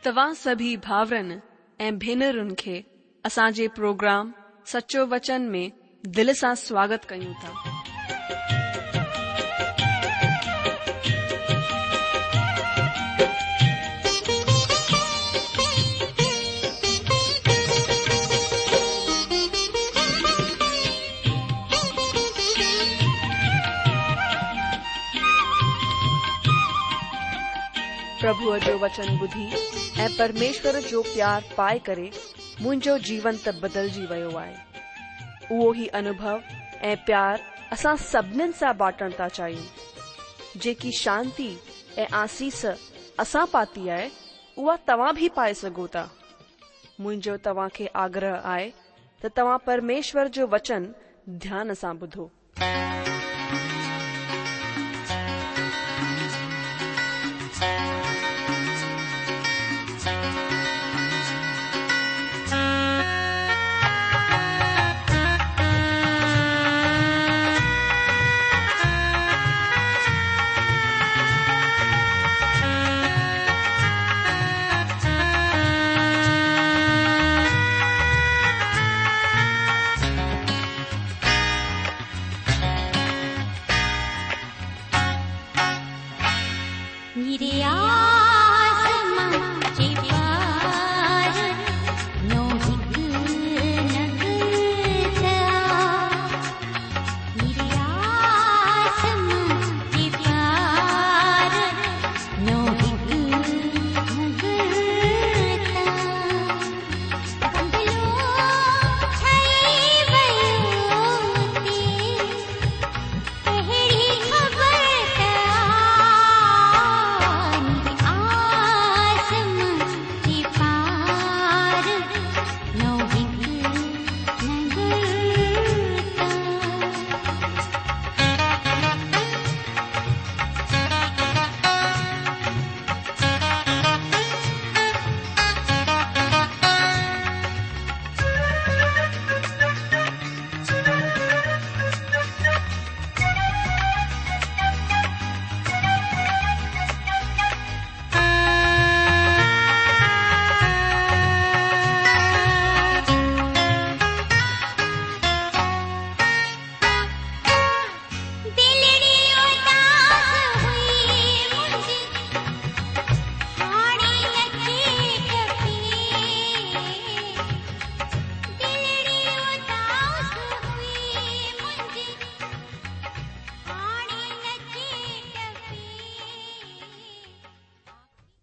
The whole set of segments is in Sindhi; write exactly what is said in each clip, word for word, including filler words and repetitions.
توهان سڀئي ڀائرن ۽ ڀينرن کي اسان جي پروگرام سچو وچن ۾ دل سان سواگت ڪيون ٿا. پرڀوءَ جو وچن ٻڌي ۽ پرميشور جو پيار پائي ڪري منهنجو جيون ته بدلجي ويو آهي. اهو ئي انوڀو ۽ پيار اسان سڀنين سان بانٽڻ ٿا چاهيون. جيڪي شانتي ۽ آسيس اسان پاتي آهي، اها توهان به پائي سگهو ٿا. منهنجو توهان کي آگرهه آهي ته توهان پرميشور جو وچن ڌيان سان ٻڌو.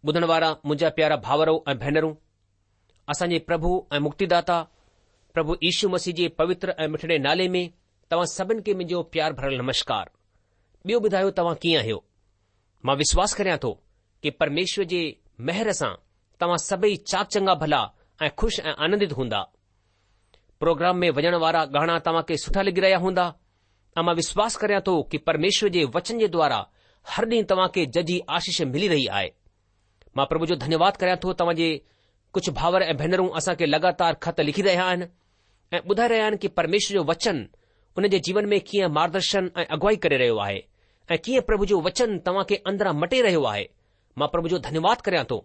ٻڌڻ وارا منهنجا پيارا ڀائرو ۽ ڀينرون، اسان جي پرڀو ۽ مڪتيداتا پرڀو يشو مسيح جي پوتر ۽ مٺڙي نالي ۾ توهان سڀن کي منهنجو پيار ڀريل نمشڪار. ٻيو ٻڌايو توهان ڪيئن آهيو؟ مان وشواس ڪريان ٿو ڪي پرميشور جي مهر سان توهان سڀئي چاڪ چڱا ڀلا ۽ خوش ۽ آنندت هوندا. پروگرام ۾ وڄڻ وارا گانا توهان کي سٺا لڳي رهيا هوندا ۽ مان وشواس ڪريان ٿو ڪي پرميشور جي وچن جي دوارا هر ڏينهن توهان کي ججهي آشيش ملي رهي آهي. مان پرڀو جو ڌنيواد ڪريان ٿو توهان جي ڪجهه ڀائر ۽ ڀينرون اسان کي لڳاتار خط لکي رهيا آهن ۽ ٻڌائي رهيا آهن ڪي پرميشور جو وچن ان جي جيون ۾ ڪيئن مارگدرشن ۽ اڳوائي ڪري رهيو آهي ۽ ڪيئن پرڀو جو وچن توهان کي اندران مٽي رهيو آهي. مان پرڀو جو ڌنيواد ڪريان ٿو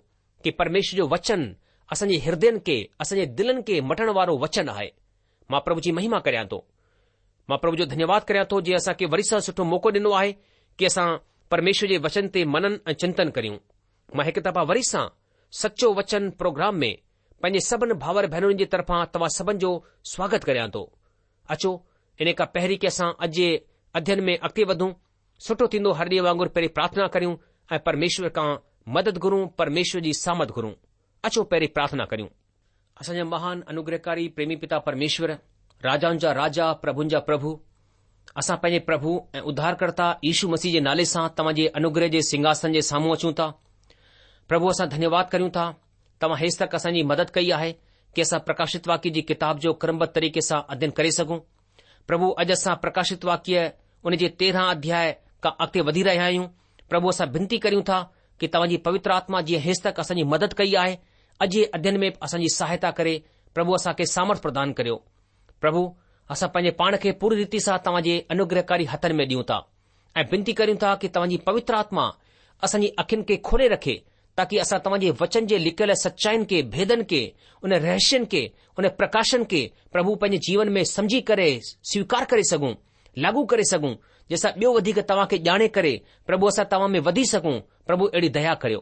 ڪي پرميشور جو وچن اسان جي هردين کي اسان جي دلن کي مٽڻ وارو وچن آهي. مان پرڀو جي مهما ڪريان ٿو. مان پرڀو جو ڌنيواد ڪريان ٿو جنهن اسان کي وري سان سٺو موقعو ڏنو آهي ڪي اسان پرميشور جي وچن تي منن ۽ چنتن ڪريون. مان هڪ دفعا وري سان سچو وچن پروگرام ۾ پنهنجي سڀن ڀائر ڀينرن جي طرفان توهان سڀن جو سواگت ڪريان ٿو. اچو ان کان پهرين ڪي اسان اڄ جي اڌين ۾ اڳتي وڌون، سٺو ٿيندو هر ڏينهن وانگر پهرين پرارٿنا ڪريون ۽ پرميشور کان مدد گهرون، پرميشور جي سامرٿ گهرون. اچو پهرين پرارٿنا ڪريون. اسان جا مهان انوگرهڪاري پريمي پتا پرميشور، راجائن جا راجا، پرڀن جا پرڀو، اسان پنهنجي پرڀو ۽ اڌارڪرتا يشو مسيح جي نالي سان توهان جي انوگرهه جي سنگهاسن جي سامهون اچون ٿا. پرڀو اسان ڌنيواد ڪريون ٿا، توهان هيستڪ اسان جي مدد ڪئي آهي ڪي اسان پرڪاشت واڪيه جي ڪتاب جو ڪرمبڌ طريقي سان اڌين ڪري سگهون. پرڀو اڄ اسان پرڪاشت واڪيه ان جي تيرهن اڌياء کان اڳتي وڌي رهيا آهيون. پرڀو اسان بنتي ڪريون ٿا ڪي توهان جي پوتر آتما جيئن هيستڪ اسان جي مدد ڪئي آهي، اڄ جي اڌين ۾ به اسان جي سهائتا ڪري پرڀو اسان کي سامرٿ پردان ڪريو. پرڀو اسان پنهنجي پاڻ کي پوري ريتي سان توهان جي انوگرهڪاري هٿن ۾ ڏيون ٿا ۽ بنتي ڪريون ٿا ڪي توهان جي پوتر آتما اسان جي اکين کي کولي رکي تاڪي اسان توهان جي وچن جي لڪيل سچائين کي، ڀيدن کي، ان رهسين کي، ان پرڪاشن کي پرڀو پنهنجي جيون ۾ سمجهي ڪري سويڪار ڪري سگهون، لاڳو ڪري سگهون، جنهن سان ٻيو وڌيڪ توهان کي ڄاڻي ڪري پرڀو اسان توهان ۾ وڌي سگهون، پرڀو اهڙي ديا ڪريو.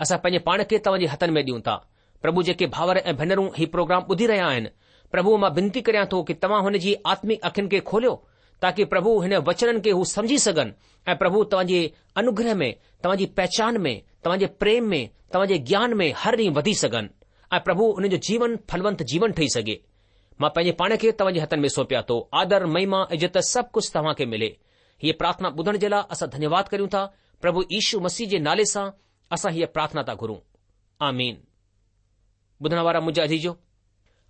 اسان پنهنجي پاڻ کي توهان جي هٿن ۾ ڏيون ٿا. پرڀو جيڪي ڀائر ۽ ڀينرون هي پروگرام ٻڌي رهيا آهن، پرڀو مان بنتي ڪريان ٿو ڪي توهان هن جي آتمڪ اکين کي کوليو تاڪي پرڀو هن وچنن کي هو سمجهي سگهن ۽ پرڀو توهان جي انوگره ۾ توهان جي پهچان ۾ توهان جي پريم ۾ توهان جي گيان ۾ هر ڏينهن وڌي سگهن ۽ پرڀو انهن جو جيون ڦلونت جيون ٺهي سگهي. مان پنهنجي پاڻ کي توهان جي هٿن ۾ سونپيان ٿو. آدر، مهما، عزت سڀ ڪجهه توهان کي ملي. هيء پرارٿنا ٻڌڻ جي لاء اسان ڌنيواد ڪريون ٿا. پرڀو يشو مسيح جي نالي سان اسان هيء پرارٿنا ٿا گهرون. آمين. ٻڌڻ وارا منهنجا عزيزو،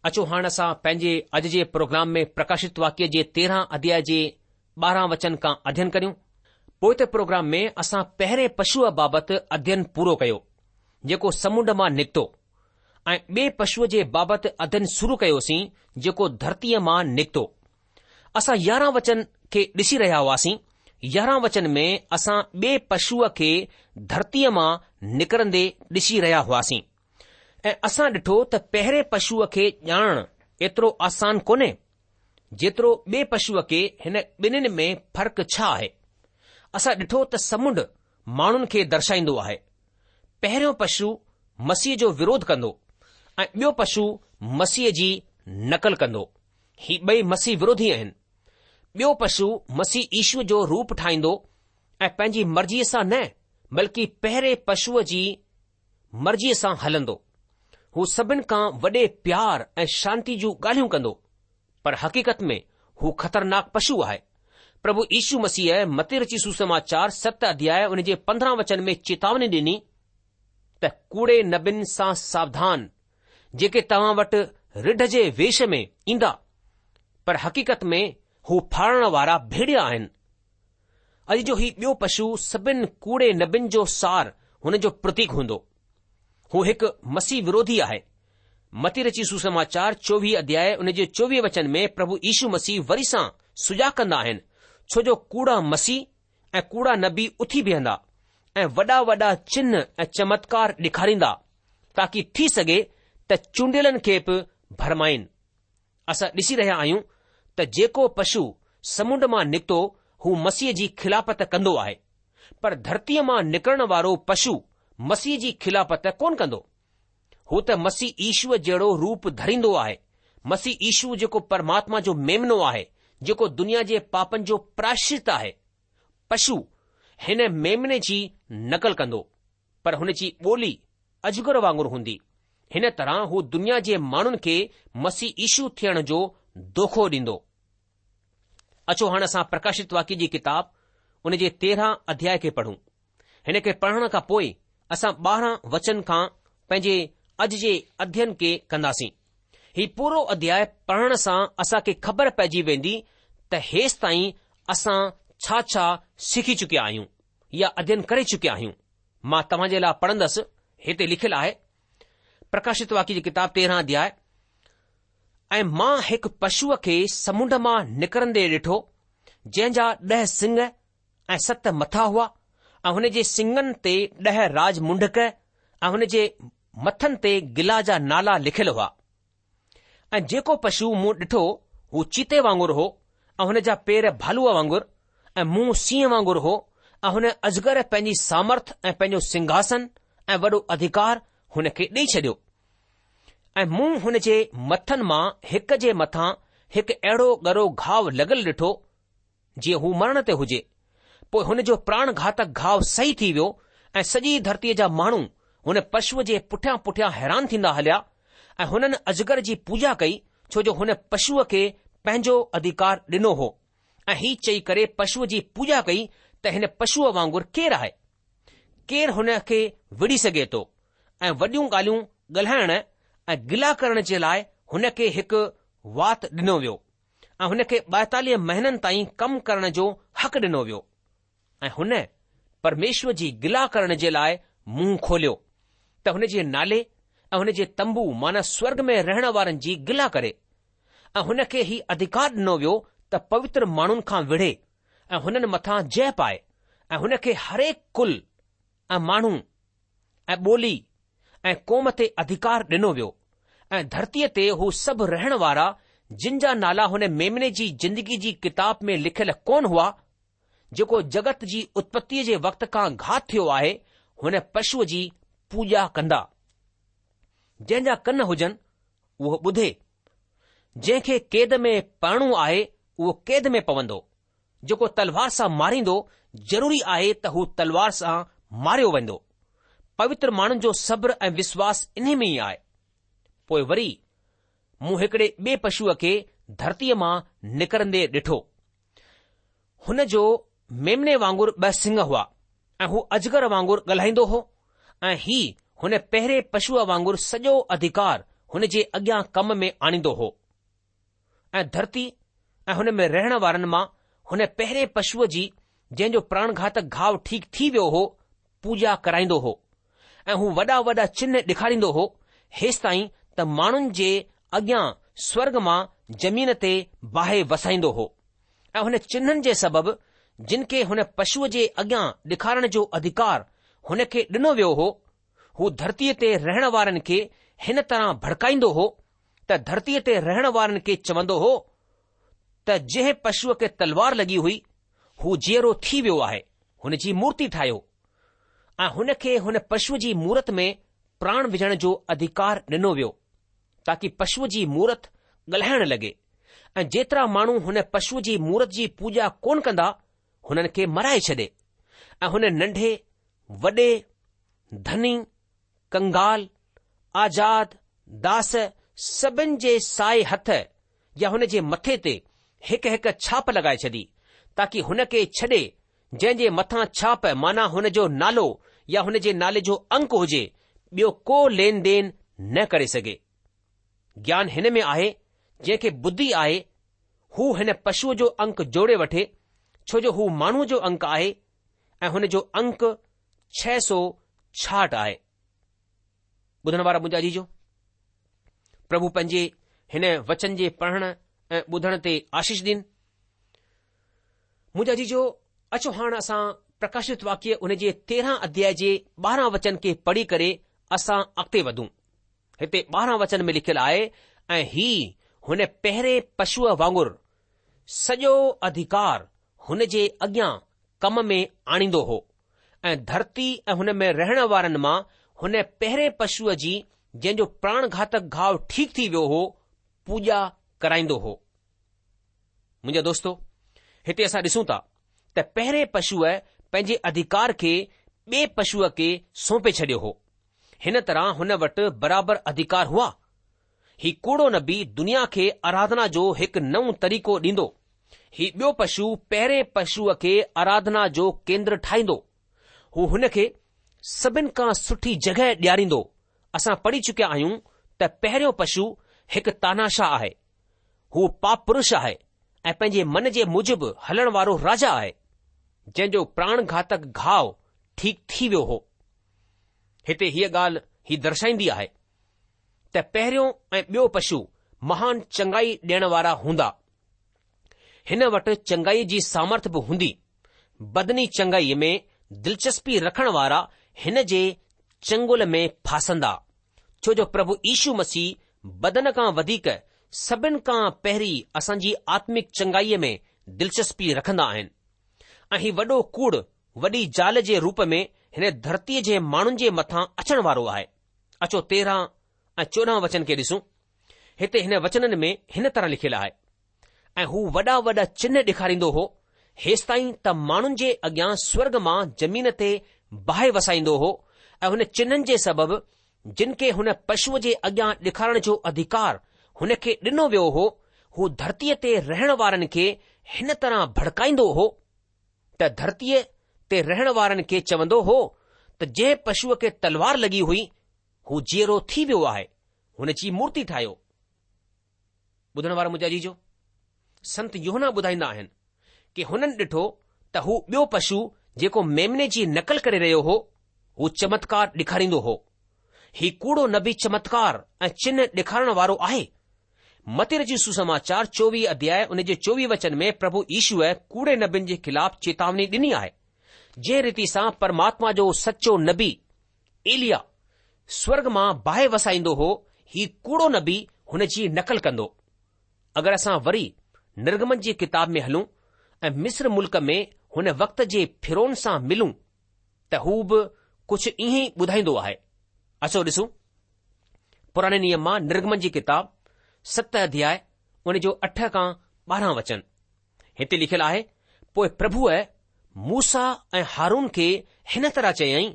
اچو هاڻ اسان پنهنجي اڄ جي پروگرام ۾ پرڪاشت واڪيه جي تيرهن اڌياء جي ٻارهن وچن کان اڌين ڪريون. پوئتي پروگرام ۾ اسان پهرين پشوء بابت اڌين پورو ڪيو، جيڪو سمنڊ مان نڪتو ۽ ٻئي پشوء جي بابت اڌين شروع ڪيوسين جيڪو ڌرتيء مان نڪتو. اسان يارهن وچن کي ڏسي رهيا هئاسين. يارهن وچن ۾ اسان ٻئي پشوء کي ڌرتيء مان نڪرندي ڏسي رهيا هئاسين ۽ اسان ڏٺو ته پهرين پشوء کي ڄاڻڻ ايترو آسان ڪونهي جيترو ٻئي پشوء کي هن ٻنهين ۾ فرق ڇا آهي؟ اسان ڏٺو ته سمنڊ ماڻهن کي درشائيندو آهي. پهريون پشو مسيح جو وروڌ ڪندو ۽ ٻيو پشو مسيح جي نقل ڪندو. هي ٻئي مسيح وروڌي آهن. ٻيو پشو مسيح يشو جو روپ ٺاهيندو ۽ پنهنجي مرضيء سان نه بلڪه پهرين پشوء جي مرضيء سان هلندو. هو سڀن کان وڏي پيار ۽ شانتي جون ڳالهيون ڪندو، پر حقيقت ۾ هو خطرناڪ پشو آهي. پرڀو يشو مسيح متي رچي سوسماچار ست اڌياء ان جي پندرهن وچن ۾ چيتاوني ڏني ته ڪوڙي نبين سان ساوڌان، جيڪي توهان وٽ رڍ جي ويش ۾ ايندا، پر حقيقت ۾ هو ڦاڙڻ وارا ڀيڙيا آهن. اڄ جو هي ٻيو پشو سڀن ڪوڙي نبين جو سار هن جو پرتيڪ هوندو. هو هڪ مسيح وروڌي آهي. متي رچي سوسماچار چوويهه اڌياء ان جي چوويهه وچن ۾ پرڀو يشو مسيح وري سان سجاڳ ڪندا آهن، ڇو جو ڪوڙا مسيح ۽ ڪوڙا نبي اٿي بيهندا ۽ وڏا وڏا چنه ۽ چمتڪار ڏيکاريندا، تاڪي ٿي سگهي ته چونڊيلن کي به ڀرمائين. اسان ڏسي رهيا آهيون ته جيڪو پشو سمنڊ مان نڪتو هو مسيح جي خلافت ڪندو آهي، پر ڌرتيء مان نڪرڻ وارو پشو مسيح جي خلافت ڪونه ڪندو. هو ته مسيح يشوء جهڙو روپ ڌريندو آهي. مسيح يشو جيڪو پرماتما جو ميمنو آهي، جيڪو دنيا جي پاپن جو پراشچت آهي. پشو هن ميمني جي نقل ڪندو، پر هن جي ٻولي اجگر وانگر هوندي. هن طرح هو دنيا جي ماڻهن کي مسيح يشو ٿيڻ جو دوکو ڏيندو. اچو هاڻ اسان پرڪاشت واڪيه جي ڪتاب ان جي تيرهن اڌياء کي پڙهون. هن کي پڙهڻ کان پوء اسان ٻارهن وچن کان پنهنجي اڄ جي اڌين کي ڪنداسين. هي پورو اڌياء پڙهڻ سان اسان کي خبر پئجي ويندي ته هيستائين اسان ڇا ڇا سکي چڪيا آهيون يا اڌين ڪري چڪيا آهيون. مان توهان جي لاء پڙهندس، هتي لکيل آهي، پرڪاشت واڪيه جي ڪتاب تيرهن اڌياء، ۽ مان هڪ پشوء کي سمنڊ مان نڪرندي ڏٺو، جنهن جا ڏهه سڱ ۽ ست مٿا هئا ۽ هن جي سڱن تي ڏهه راج منڍڪ ۽ هن جي مٿن تي گلا جا نالا لکيل هئا. ۽ جيڪو پشو مون ڏٺو هو چيتي وانگر هو ۽ هن جا پير ڀالوء وانگر ۽ منهن سينهن وانگر هو ۽ هن اجگر پنهنجي سامرٿ ۽ پنهنجو سنگهاسن ۽ وڏو اڌڪار هن کي ڏيئي ڇڏيو. ۽ مون هن جي مٿن مان هڪ جي مٿان هڪ اهڙو ڳرو گهاء لڳل ڏٺو جيئن هو مرڻ تي هجي. پوء هن جو پراڻ گهاتڪ گهاء صحيح ٿي ويو ۽ سڄي ڌرتيء جا ماڻهو هن پشوء جي پٺيان پٺيان حيران ٿيندا هليا ۽ هنن اجگر جي پوڄا ڪئي ڇو جو هن پشوء کي پنهنجو اڌيڪار ڏنو هو ۽ هي چئي ڪري پشوء جي پوڄا ڪئي ته هن پشوء وانگر ڪير آهي؟ ڪير هن کي وڙهي سگهي ٿو؟ ۽ وڏيون ڳالهيون ڳالهائڻ ۽ گلا ڪرڻ جي لاء هن کي هڪ وات ڏنو ويو. ۽ هن کي ٻائيتاليهه مهينن تائين ڪم ڪرڻ جو حق ڏنو ويو ۽ هن پرميشور جي گلا ڪرڻ جي لاء منهن کوليو ته هن جي نالي ۽ هن جي تنبو معنيٰ سورڳ ۾ رهڻ وارن جي گلا ڪري ۽ هن کي هي اڌڪار ڏنو ويو ته پوتر ماڻهن کان وڙهي ۽ هنن مٿان جئه پائي ۽ هن کي هرهڪ ڪل ۽ ماڻهو ۽ ٻولي ۽ قوم تي اڌڪار ڏنو ويو ۽ ڌرتيء تي هو سڀ رهڻ وارا جن جا نالا هن ميمني جي زندگي جي ڪتاب ۾ لکيل ڪونه هئا، جيڪو جڳت جي اتپتيء جي وقت کان گهات ٿيو آهي، هن پشوء جي پوڄا ڪندا. جنهن جا ڪن هجن، اهو ٻڌي. جنهن کي قيد ۾ پوڻو آهي، اهو قيد ۾ پوندو. جيڪو تلوار سان ماريندو، ضروري آهي ته هو تلوار سان ماريو ويندو. پوتر ماڻهن جو صبر ۽ وشواس انهي ۾ ئي آهي. پوء وري مون هڪڙي ٻئي پشوء کي ڌرتيء مان نڪرندي ڏٺو. هن جو ميمني وانگر ٻه سڱ هئا ۽ هو اجگر وانگر ڳالهائيندو هو ۽ هي هن پهرين پشوء وانگر سڄو اڌڪار هن جي اڳيان ڪم ۾ آڻيندو هو. ۽ ڌرتي ۽ هن ۾ رهڻ وارن مان هن پهرين پشوء جي جنهن جو پراڻگهاتڪ گهاء ٺيڪ ٿي ويو هو، پوڄا ڪرائيندو هو ۽ هو وڏا وڏا چنه ڏيکاريندو هو، هيستائين ته ماڻهن جي اڳيان سورڳ مان زمين تي باهه وسائيندو هو ۽ هن چنهن جي سبب جن کي هن پشوء جي اڳيان ڏيکارڻ جو اڌڪار هن کي ڏنو ويو هو، هو ڌرتيء تي رهڻ وارن کي هن طرح ڀڙڪائيندو هو ته ڌرتيء تي رهڻ وارن کي چوندو هو ته جنهن پشوء کي تلوار لڳي هئي، هو جيئرو ٿي ويو آهي، هن جي مورتي ٺاهيو ۽ هن کي هن پشوء جي مورت ۾ پراڻ وجهڻ جو اڌڪار ڏنو ويو، تاڪي پشوء جي مورت ڳالهائڻ لڳي ۽ جيترا ماڻهو هن پشوء جي مورت جي پوڄا ڪونه ڪندا، هنن کي مارائي ڇڏي ۽ هن ننڍي، وڏي، ڌني، ڪنگال، آزاد، داس سڀن جي سائي هٿ يا هن جي مٿي تي هڪ هڪ ڇاپ لڳائي ڇڏي، تاڪي هن کي ڇڏي جنهن جي مٿان ڇاپ معنيٰ هن جو نالو يا هن جي نالي جو انڪ هجي، ٻيو ڪو لين دين نه ڪري سگهي. گيان هن ۾ آهي، جنهن کي ٻڌي آهي، هو هن پشوء جو انڪ جوڙي وٺي، ڇو جو هو ماڻهوء جو انڪ آهي ۽ هن جو انڪ ڇهه سؤ ڇاهٺ آهي. ٻڌڻ وارا منهنجا عزيزو، پرڀو پنهنجي هن وچن جي پڙهڻ ۽ ٻڌڻ تي آشيش ڏين. منهنجا عزيزو، اچو هاڻ اسان پرڪاشت واڪيه ان جي تيرهن اڌياء جي ٻارهن وچن کي پڙهي ڪري اسان اڳتي وڌون. هتي ٻارهن وچن ۾ لکيل آهي ۽ هي هن پهرين پشوء وانگر سڄو اڌڪار هن جي اڳيان ڪم ۾ آڻيندو هو ۽ ڌرتي ۽ هن ۾ رهڻ وارن مان هن پهرين پشوء جي جنهن جو پراڻگهاتڪ گهاء ٺيڪ ٿي ويو هو، پوڄا ڪرائيندو هو. منهنجا دوستو، هتي اسان ڏسون ٿا ته پهرين پشوء پنهنجي اڌڪار کي ٻئي پشوء کي سونپي ڇڏيو هو. هن طرح هن وٽ برابر اڌڪار هئا. هي ڪوڙو نبي دنيا کي آراڌنا جو هڪ نئون طريقو ڏيندو. هي ٻيو پشو پهرين پشوء کي آراڌنا جو ڪيندر ٺاهيندو. هو هن کي سڀن کان سٺي جڳهه ڏياريندو. اسان پڙهي چڪيا آهيون ته پهريون پشو هڪ تاناشاهه آهي. هو پاپ پرش آهي ۽ پنهنجي من جي موجب هلڻ وارو راجا آهي، جنهن جو پراڻ گهاتڪ گهاء ٺيڪ ٿي ويو هو. هتي هيء ڳالهه هي درشائيندي آهي ته پهريون ۽ ٻيو پشو مهان چڱائي ڏيڻ وارا هوندا. هن وٽ چڱائي جي سامرٿ به هوندي. بدني چڱائيء ۾ دلچسپي رکڻ وارا هن جي چنگل ۾ ڦاسندا، ڇو جو پرڀو يشو مسيح بدن کان وڌيڪ سڀن کان پهرين اسان جي آتمڪ چڱائيء ۾ دلچسپي رکندا آهن ۽ هي وڏو ڪوڙ وڏي زال جي روپ ۾ هن ڌرتيء جي ماڻهن جي مٿان اچڻ وارو آهي. اچو تيرهن ۽ چوڏهن وچن کي ڏسون. هتي هن وچنن ۾ هن طرح لکيل آهي، ۽ هو وڏا وڏا چنه ڏيکاريندو هو، هيستائين ته ماڻهن جي اڳيان سورڳ مان زمين تي باهه وسائيندو هو، ۽ هن چنهن جي سبب جن کي هن پشوء جي اڳيان ڏيکارڻ جو اڌڪار هن کي ڏنو ويو هو، هو ڌرتيء تي رهڻ وارن کي هن طرح ڀڙڪائيندو هو، ته ڌرتيء تي رهڻ وارن کي چوندو هو ته جنهن پشوء کي تلوار لڳي هئي، هو جيئرو ٿي ويو آهي، هن جي مورتي ٺاهيو. ٻڌڻ وارا منهنجا عزيزو، سنت يوحنا ٻڌائيندا آهن ڪي هنن ڏٺو ته هو ٻيو پشو جيڪو ميمني جي نقل ڪري رهيو هو، هو چمتڪار ڏيکاريندو هو. هي ڪوڙو نبي چمتڪار ۽ چنه ڏيکارڻ وارو آهي. متي رچت سوسماچار چوويهه اڌياء ان جي چوويهه وچن ۾ پرڀو يشوء ڪوڙي نبين جي خلاف چيتاوني ڏني آهي. جنهن ريتي سان پرماتما جو سچو نبي ايليا سورڳ مان باهه وسائيندو هو، هي ڪوڙو نبي هن جي نقل ڪندو. اگر اسان وري نرگمن جي ڪتاب ۾ هلون ۽ مصر ملڪ ۾ هن وقت جي فرعون سان ملون ته هو به ڪجهه ائين ئي ٻڌائيندو آهي. اچو ڏسون. پراڻي نيم مان نرگمن جي ڪتاب ست اڌياء ان جو اٺ کان ٻارهن وچن. هتي لکيل آهي، پوء پرڀوء موسيٰ ۽ هارون کي هن طرح چيائين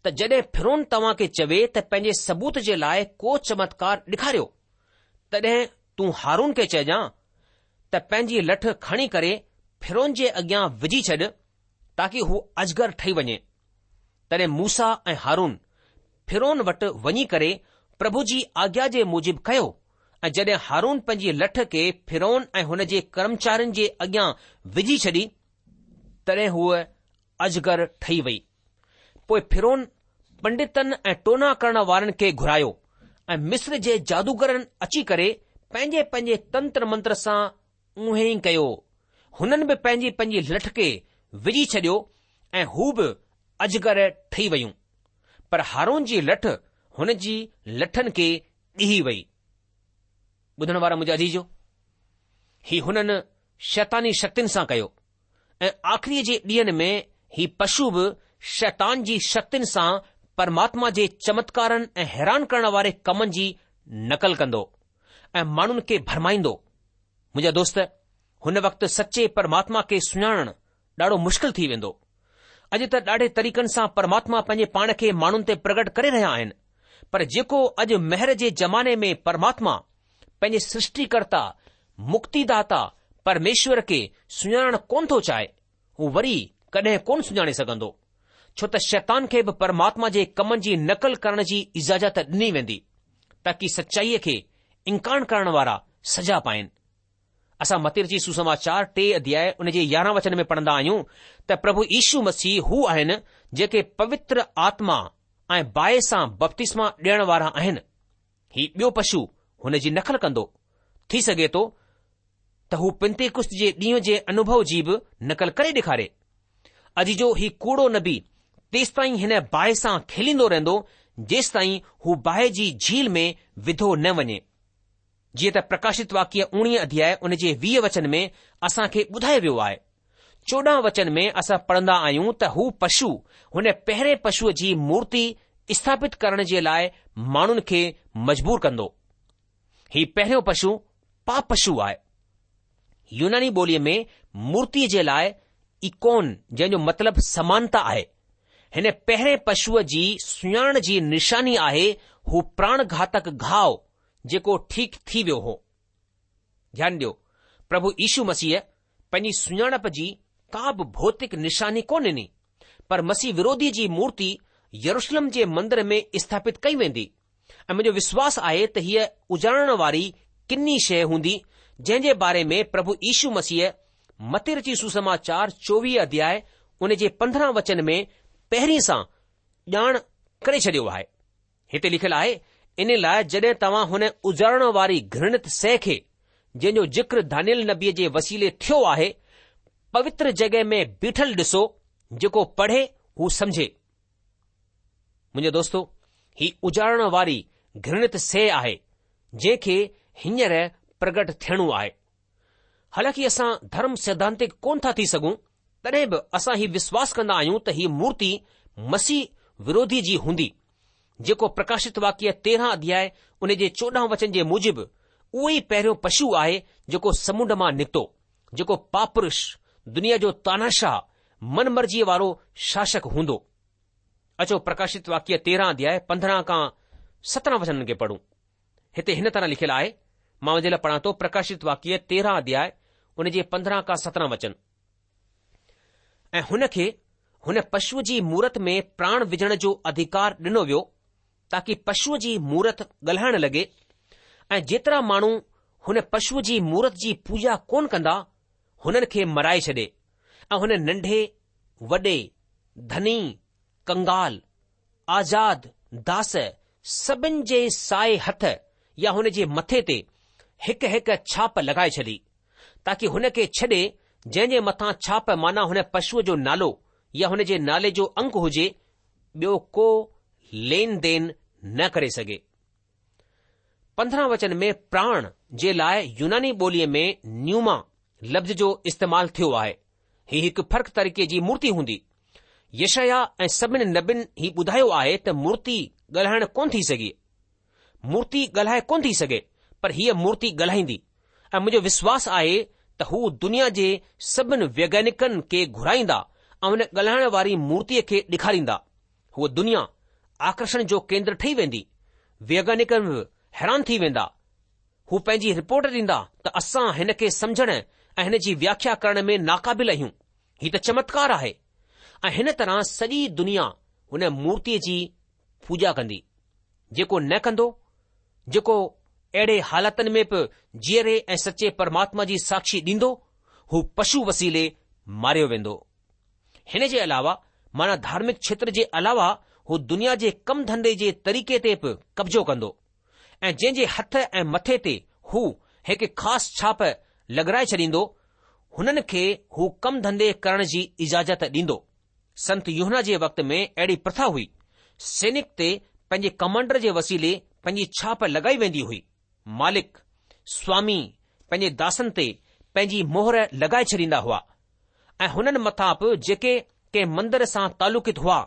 ته جڏهن فرعون توهان کي چوي ته پنهنجي ثبوت جي لاء ڪو چمتڪار ڏيکاريو، تڏهن تون هارون کي چئجان ته پنهنجي لٺ کڻي ڪري فرعون جي اڳيان وجهي ڇڏ تاڪي هو اجگر ٺهي وڃي. تڏهن موسيٰ ۽ هارون فرعون وٽ وڃي ڪري پرڀو جي آگيا جي موجب ڪيو ۽ جڏهن هارون پنهنجي لٺ کي فرعون ۽ هن جي ڪرمچارين جي اڳيان وجهي ڇڏي، تڏهن هوء اجگر ٺهي وئي. پوء فرعون پنڊتن ۽ ٽونا ڪرڻ وارن کي گهرايو ۽ مصر جي جادوگرن اچي ڪري پنهنجي پنهنجي تنتر منتر سان اونهي ئي ڪيو. هنن به پنهنجي پنهنجي لٺ کي وجهي ڇڏيو ۽ هو به اجگر ٺهي ويون. پر هارون جي لٺ هن جي لٺن کي ڳهي وئي. ٻڌڻ وارا منهنجا عزيزو، هي هنن شيطاني شڪتين سان ڪيو ۽ آخريء جي ڏينهن ۾ هي پشو به شيطان جي شڪتين سان پرماتما جي چمتڪارن ۽ حيران ڪرڻ واري ڪمن جي نقل ڪندو ۽ ماڻهن کي ڀرمائيندو. منهنجا دوست، هن وقت سچي پرماتما کي سڃاڻڻ ڏاڍو مشڪل ٿي ويندو. اڄ ته ڏاڍي طريقن سان پرماتما پنهنجي پاڻ کي ماڻهن تي پرگٽ ڪري رهيا آهن، پر جيڪو اڄ مهر جي زماني ۾ پرماتما پنهنجي سرشٽيڪرتا، مڪتيداتا پرميشور کي سڃاڻڻ ڪونه ٿو چاهي، هو وري ڪڏهن ڪونه سڃاڻي سگهندو، ڇو ته شيطان کي به پرماتما جي ڪمن جي نقل ڪرڻ جي اجازت ڏني ويندي، تاڪي سچائيء کي انڪار ڪرڻ وارا سزا پائين. اسان متي رچت سوسماچار ٽي اڌياء ان جي يارهن وچن ۾ پڙهندا آهيون ته پرڀو يشو مسيح هو آهن جيڪي پوتر آتما ۽ باهه سان بپتسما ڏيڻ وارا آهن. هي ٻيو پشو هن جي نقل ڪندو. ٿي سگهي ٿو ته هو پنتيڪست جي ڏينهن جي انوڀو جي به نقل ڪري ڏيکاري. عزيزو هي ڪوڙو نبي تيستائين هن باهه سان کيليندو رهندو جيستائين هو باهه جي جهيل ۾ وڌو نه وڃي. جيئن ته پرڪاشت واڪيه اوڻيهه اڌياء ان جي ويهه وچن ۾ اسان کي ٻڌايو ويو آهي. چوڏهن وچن ۾ اسان پڙهندا آهيون ته هو پشو هن پهرين پشوء جي مورتي اسٿاپت ڪرڻ جي لاء ماڻهن کي مجبور ڪندو. هي پهريون پشو پاپ پشو آهي. يوناني ٻوليء ۾ مورتيء جي لاء ايڪون جنهن جو مطلب سمانتا آهي. هن پهرين پشوء جي سڃاڻڻ جي نشاني آهي هو پراڻگهاتڪ گهاء جيڪو ٺيڪ ٿي ويو هو. ڌيان ڏيو، پرڀو يشو مسيح پنهنجي سڃاڻپ جي ڪا به ڀوتڪ نشاني ڪونه ڏني، پر مسيح وروڌي جي مورتي يروشلم جي مندر ۾ اسٿاپت ڪئي ويندي ۽ منهنجو وشواس آهي ته هيء اجاڙڻ واري ڪني شيء هوندي جنهن جي باري ۾ پرڀو يشو مسيح متي رچت سوسماچار چوويهه اڌياء ان جي پندرهن وچن ۾ پهرين سان ڄاڻ ڪري ڇڏيو آهي. هتي لکيل آهي، ان لاء جڏهن توهان هن اجاڙڻ واري گهرڻت شيء کي، جنهن جو ذڪر دانيئيل نبيء جي وسيلي ٿيو آهي، پوتر جڳهه ۾ بيٺل ڏسو، جيڪو پڙهي هو سمجهي. منهنجا دوستو، هي اجاڙڻ واري گهرڻت شيء آهي، جنهن کي هينئر پرگٽ ٿيڻو آهي. حالانڪه اسان ڌرم سيڌانتڪ ڪونه ٿا ٿي سگهون، تڏهن به اسان هي وشواس ڪندا آهيون ته هيء مورتي مسيح وروڌي جي هوندي، جيڪو پرڪاشت واڪيه تيرهن اڌياء ان جي چوڏهن وچن جي موجب اهو ئي پهريون پشو آهي جيڪو سمنڊ مان نڪتو، جيڪو پاپ پرش، دنيا جو تاناشاهه، من مرضيء وارو شاسڪ هوندو. اچو پرڪاشت واڪيه تيرهن اڌياء پندرهن کان سترهن وچنن کي پڙهون. هتي هن طرح لکيل آهي، مان اوهان جي لاء پڙهان ٿو پرڪاشت واڪيه تيرهن اڌياء ان جي پندرهن کان سترهن وچن. ۽ هن کي هن پشوء جي مورت ۾ پراڻ وجهڻ جو اڌڪار ڏنو ويو تاڪي پشوء جي مورت ڳالهائڻ لڳي ۽ جيترا ماڻهو هن پشوء جي مورت جي پوڄا ڪونه ڪندا هنن کي مرائي ڇڏي ۽ هن ننڍي وڏي ڌني ڪنگال آزاد داس سڀن جي سائي هٿ يا هن جي مٿي تي هڪ هڪ ڇاپ لڳائي ڇڏي، تاڪي هن کي ڇڏي جنهن جي مٿان ڇاپ معنيٰ هن پشوء جو نالو يا هن جي نالي جو انگ هجي، ٻيو ڪو لين دين نه ڪري سگهي. پندرهن وچن ۾ پراڻ جي لاء يوناني ٻوليء ۾ نيوما لفظ جو استعمال ٿيو آهي. هي هڪ فرق طريقي جي مورتي هوندي. يشعيا ۽ سڀن نبين هي ٻڌايو آهي ته مورتي ڳالهائڻ ڪونه ٿي سگهي. مورتي ڳالهائي ڪونه ٿي سگهي، پر هيء مورتي ڳالهائيندي ۽ منهنجو وشواس آهي ته هو دنيا جي سڀن ويگيانڪن کي گهرائيندا ۽ هن ڳالهائڻ واري مورتيء کي ڏيکاريندا. هوء دنيا آڪرشڻ جو ڪيندر ٺهي ويندي. ويگيانڪ به حيران ٿي ويندا. هو پنهنجي رپورٽ ڏيندا ته اسان هن کي سمجهڻ ۽ هن جي وياکيا ڪرڻ ۾ ناقابل آهيون. هي ته چمتڪار آهي. ۽ هن طرح سڄي دنيا هن مورتيء جي پوڄا ڪندي. جيڪو نه ڪندو، جيڪو اهڙي حالتن ۾ به جيئري ۽ سچي پرماتما جي ساکشي ڏيندو، هو پشو وسيلي ماريو ويندو. هن جي علاوه معنيٰ ڌارمڪ کيتر جي علاوه هو دنيا جي ڪم ڌنڌي جي طريقي تي به قبضو ڪندو ۽ جنهن جي هٿ ۽ مٿي تي هو هڪ خاص ڇاپ لڳرائي ڇڏيندو، هنن کي هو ڪم ڌنڌي ڪرڻ جي اجازت ڏيندو. سنت يوحنا جي وقت ۾ اهڙي پرٿا هئي. سينڪ تي پنهنجي ڪمانڊر جي وسيلي پنهنجي ڇاپ لڳائي ويندي هئي. مالڪ، سوامي، پنهنجي داسن تي پنهنجي مهر لڳائي ڇڏيندا هئا ۽ هنن مٿان به جيڪي ڪنهن مندر سان تعلقيت هئا،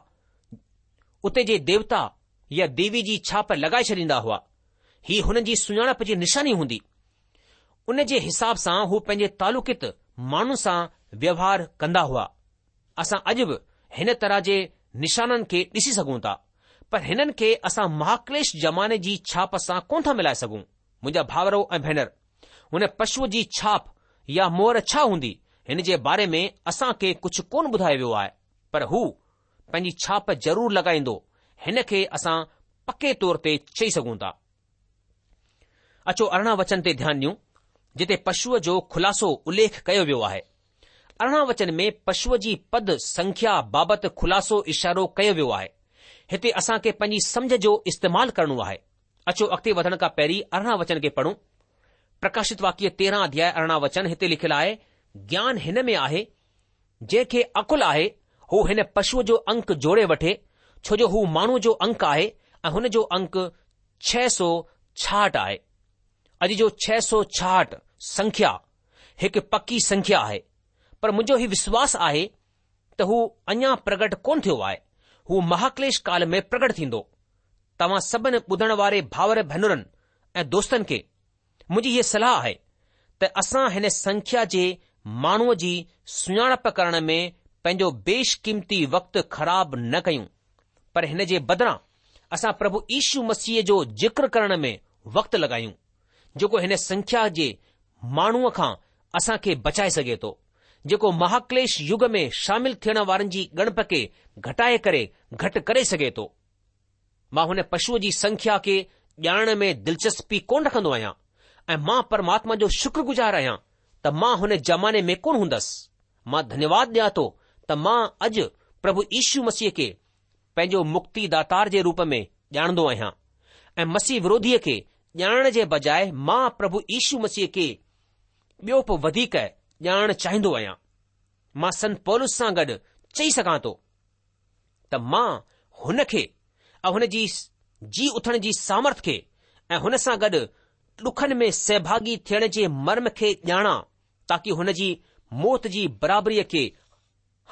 اتي جي ديوتا يا ديوي جي ڇاپ لڳائي ڇڏيندا هئا. هي هنن جي سڃاڻپ جي نشاني هوندي. ان جي حساب سان هو پنهنجي تعلقيت ماڻهن سان ويوهار ڪندا هئا. اسان اڄ به هن طرح جي نشانن کي ڏسي سگهون ٿا، پر هنن کي اسان مهاڪليش زماني جي ڇاپ سان ڪونه ٿا ملائي سگهون. منهنجا ڀائرو ۽ ڀينر، هن پشوء جي ڇاپ يا مهر ڇا هوندي، هن جي باري ۾ اسان کي ڪجهه ڪونه ٻڌايو ويو آهي، پر هو پنهنجي ڇاپ ضرور لڳائيندو، هن کي اسان پڪي طور تي چئي سگهون ٿا. اچو ارڙهن وچن تي ڌيان ڏيون، جتي پشوء جو خلاصو اليک ڪيو ويو آهي. ارڙهن وچن ۾ پشوء جي پد سنکيا بابت خلاصو اشارو ڪيو ويو آهي. هتي اسان کي پنهنجي سمجهه جو استعمال ڪرڻو آهي. اچو اڳتي وڌڻ کان پهرين ارڙهن وچن کي پڙهون. پرڪاشت واڪيه تيرهن اڌياء ارڙهن وچن هتي لکيل آهي، گيان هن ۾ آهي، جنهن کي عقل آهي، هو هن پشوء جو انڪ جوڙي وٺي، ڇو جو هو ماڻهوء جو انڪ آهي ۽ هن جو انڪ ڇهه سؤ ڇاهٺ آهي. اڄ جو ڇهه سؤ ڇاهٺ سنکيا هڪ پڪي سنکيا آهي، پر منهنجو هي وشواس آهي ته هو اڃا پرگٽ ڪونه ٿيو آهي، هو مهاڪليش ڪال ۾ پرگٽ ٿيندو. توهان سڀن ٻڌڻ واري ڀائر ڀينرن ۽ دوستن کي منهنجي هيء صلاح آهي ته اسان هن سنکيا جي ماڻهوء جي سڃاڻپ ڪرڻ ۾ پنهنجو بيش قيمتي وقت خراب نه ڪيون، پر هن جي بدران اسان پرڀو يشو مسيح جو ذڪر ڪرڻ ۾ وقت لڳايون، جيڪو هن سنکيا جي ماڻهوء کان اسان کي بچائي سگهي ٿو، جيڪو مهاڪليش يگ ۾ شامل ٿيڻ وارن جي ڳڻپ کي گهٽائي ڪري گهٽ ڪري سگهي ٿو. مان هن پشوء جي سنکيا کي ڄاڻڻ ۾ دلچسپي ڪونه رکندو آهيان ۽ مان پرماتما جو شڪرگذار آهيان ته مان هن زماني ۾ ڪونه هوندس. مان ڌنيواد ڏيان ٿو ته مان اڄ پرڀو يشو مسيح کي پنهنجو مڪتي داتار جي روپ ۾ ڄاڻندو آهيان ۽ مسيح وروڌيء کي ڄاڻڻ جي بجاء مان پرڀو يشو مسيح کي ٻيو به وڌيڪ ڄاڻڻ چاهيندو آهيان. مان سنت پولس سان گڏ چئي سگهان ٿو ته مان هن کي ۽ هن جي جي اٿڻ جي سامرٿ کي ۽ هن سان گڏ ڏکن ۾ سهڀاڳي ٿيڻ جي مرم کي ڄاڻان تاڪي هن جي موت جي برابريء کي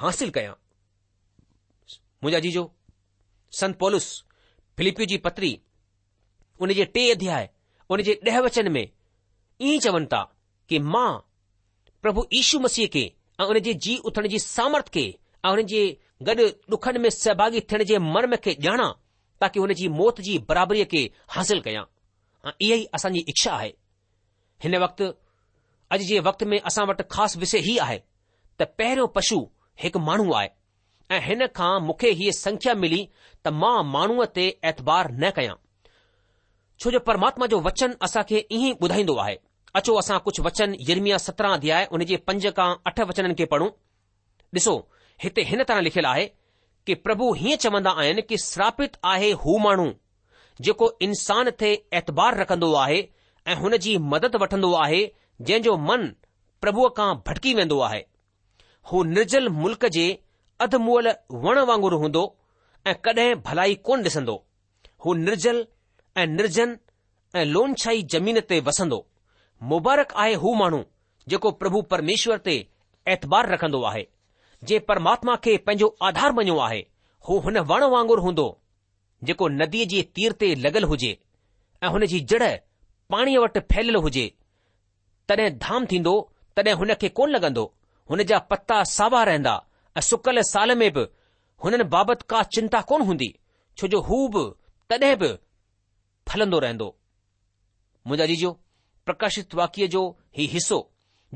حاصل ڪيان. منهنجا عزيزو، سنت پولس فلپيو جي پتري ان جي ٽي اڌياء ان جي ڏهه وچن ۾ ائين چون ٿا ڪي مان پرڀو يشو مسيح کي ۽ ان جي جي اٿڻ جي سامرٿ کي ۽ هن جي گڏ ڏکن ۾ سهڀاڳي ٿيڻ جي مرم کي ڄاڻان تاڪي هن جي موت جي برابريء کي حاصل ڪيان ۽ اها ئي اسان جي اڇا آهي. هن وقت اڄ جي وقت ۾ اسان وٽ خاص وشي هي آهي ته پهريون پشو هڪ ماڻهو آهي ۽ هن کان مون کي هيء سکيا ملي ته مان ماڻهوء تي اعتبار نه ڪيان. ڇو جو پرماتما جو وچن اسان کي ائين ئي ٻڌائيندو آهي. اچو اسان ڪجهه وچن يرمياه سترهن اڌياء ان جي پنج کان اٺ وچنن کي پڙهون. ڏسو، هتي هن طرح لکيل آهي ڪي پرڀو هيئن چوندا آهن ڪي سراپت آهي هو ماڻهو جيڪو انسان تي اعتبار رکندو آهي ۽ هن جي مدد وٺندو آهي جنهن جو من پرڀوء کان ڀٽڪي ويندو آهي. هو نرجل ملڪ جي اڌ مئل وڻ وانگر هوندو ۽ ڪڏهن ڀلائي ڪونه ڏسندو. هو نرجل ۽ نرجن ۽ لونڇائي زمين تي وسندو. مبارڪ آهي هو ماڻهو جيڪو پرڀو پرميشور تي اعتبار رکندو آهي، جنهن پرماتما کي پنهنجو آڌار مڃيو آهي. هو هن وڻ وانگر هوندو جيڪو نديءَ جي تير تي لڳل هجي ۽ هن جي جڙ پاڻيءَ وٽ ڦهليل هجي. تڏهن ڌام ٿيندو، تڏهن هن کي ڪونه لڳندو. هن جا پتا ساوا رهندا ۽ سڪل سال ۾ به هنن بابت ڪا چنتا ڪونه هوندي، ڇو جو هو به تڏهن به ڦلندو رهندو. منهنجا عزيزو، پرڪاشت واڪيه جو هي حصو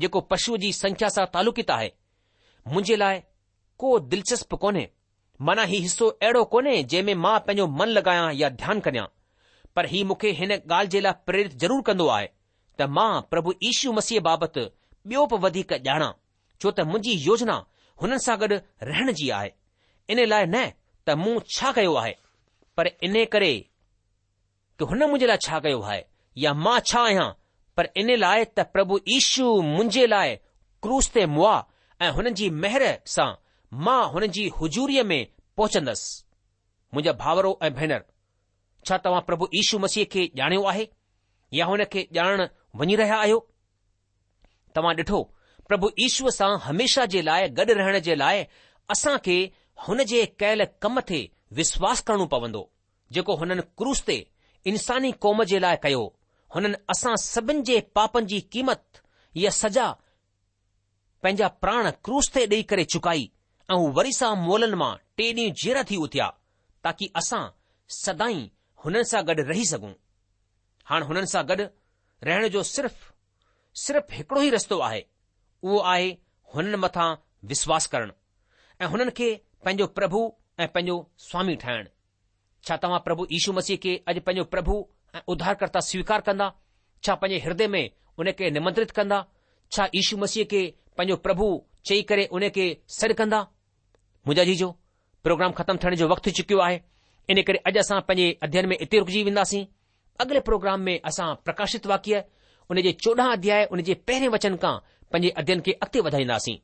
جيڪو پشوءَ جي سنکيا سان تعلقيت آهي، منهنجي لاءِ ڪو دلچسپ ڪونهي. معنيٰ هي حصو اهڙو ڪونهي جنهن ۾ مان پنهنجو من لڳايان يا ڌيان ڪريان، پر هي مون کي هن ڳالهه جي لاءِ پريرت ضرور ڪندو آهي ته مان پرڀو يشو مسيح بابت ٻيو به وڌيڪ ڄاڻان، ڇو ته منهنجي يوجنا هنن سان گڏ رهڻ جي آهي. ان لاءِ نه ته مون ڇا ڪيو آهي، پر ان ڪري ڪه هن منهنجي لاءِ ڇا ڪيو آهي يا مان ڇا آهيان، پر ان لاءِ ته پرڀو يشو منهنجي لاءِ ڪروس تي مئا ۽ هنن جي مهر سان مان هنن جي حضوريءَ ۾ پهچندس. منهنجا ڀائرو ۽ ڀينر، ڇا توهان پرڀو يشو مسيح کي ڄاڻيو آهي يا هن کي ڄاڻڻ وڃي رهيا آهيو؟ توهان ڏٺو، پرڀو يشوءَ سان هميشه جي لاءِ گڏ رهڻ جي لاءِ اسان کي هن جي ڪيل ڪم تي وشواس ڪرڻو پوندو، جيڪو هنن ڪروس تي انساني قوم جي لاءِ ڪيو. هنن اسان سڀن جي پاپن جي قيمت يا سزا پنهنجا پراڻ ڪروس تي ڏيئي ڪري چڪائي ۽ هو وري سان مئلن مان ٽي ڏينهن جيئرا ٿي اٿيا، تاڪه اسان سدائين هنن سان گڏ رهي سگهون. هاڻ هنن سان گڏ رهڻ جو صرف صرف هڪڙو ئي رستو آهي، اهو آهي هنن مٿان وشواس ڪرڻ ۽ هنن کي پنهنجو پرڀو ۽ پنهنجو سوامي ٺاهڻ. ڇا توهان پرڀو يشو مسيح کي اڄ پنهنجو پرڀو ۽ اڌارڪرتا سويڪار ڪندا؟ ڇا پنهنجي هردي ۾ ان کي نمنترت ڪندا؟ ڇا يشو مسيح کي پنهنجو پرڀو چئي ڪري ان کي سڏ ڪندا؟ منهنجا عزيزو، پروگرام ختم ٿيڻ جو وقت ٿي چڪيو آهي، ان ڪري اڄ اسان پنهنجي اڌيين ۾ اتي رڪجي وينداسين. اڳلي پروگرام ۾ اسان پرڪاشت واڪيه ان جي چوڏهن اڌياءِ ان جي پهرين وچن کان پنهنجي اڌيين کي اڳتي وڌائينداسين.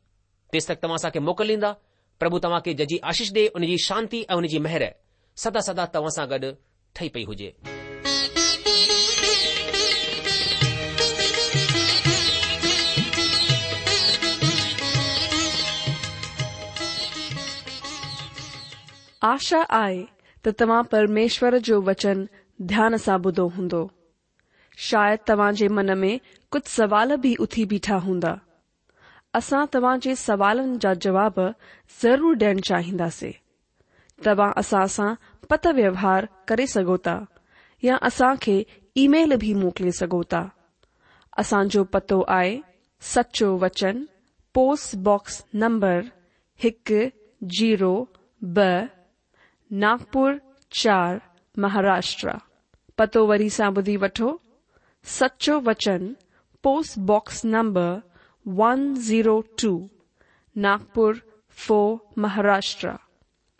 تيس تڪ توهان اسان کي موڪل ڏيندا. پرڀو توهان کي جهجهي آشيش ڏي، ان جي شانتي ۽ ان جي مهر سدا سدا توهان سان گڏ ٺهي پئي هجي. آشا آهي ته توهان پرميشور جو وچن ڌيان سان ٻڌو هوندو. شايد توهان جي من ۾ ڪجهه سوال به اٿي بيٺا هوندا. اسان توهان جي سوالن جا جواب ضرور ڏيڻ چاهينداسين. توهان اسان سان پتر ويوهار ڪري سگهو ٿا يا اسان کي اي ميل به موڪلي سگهو ٿا. اسان جو پتو آهي سچو وچن، پوسٽ باڪس نمبر هڪ زيرو ٻه، ناگپور چار، مهاراشٽر. پتو وري سان ٻڌي وٺو، سچو وچن، post box number one zero two, Nagpur four, Maharashtra.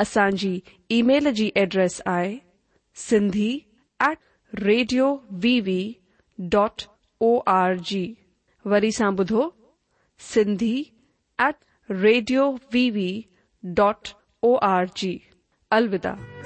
اسان جي اي ميل جي ايڊريس آهي Sindhi at radio V V dot O R G. وري سان ٻڌو، Sindhi at radio V V dot O R G. الوداع.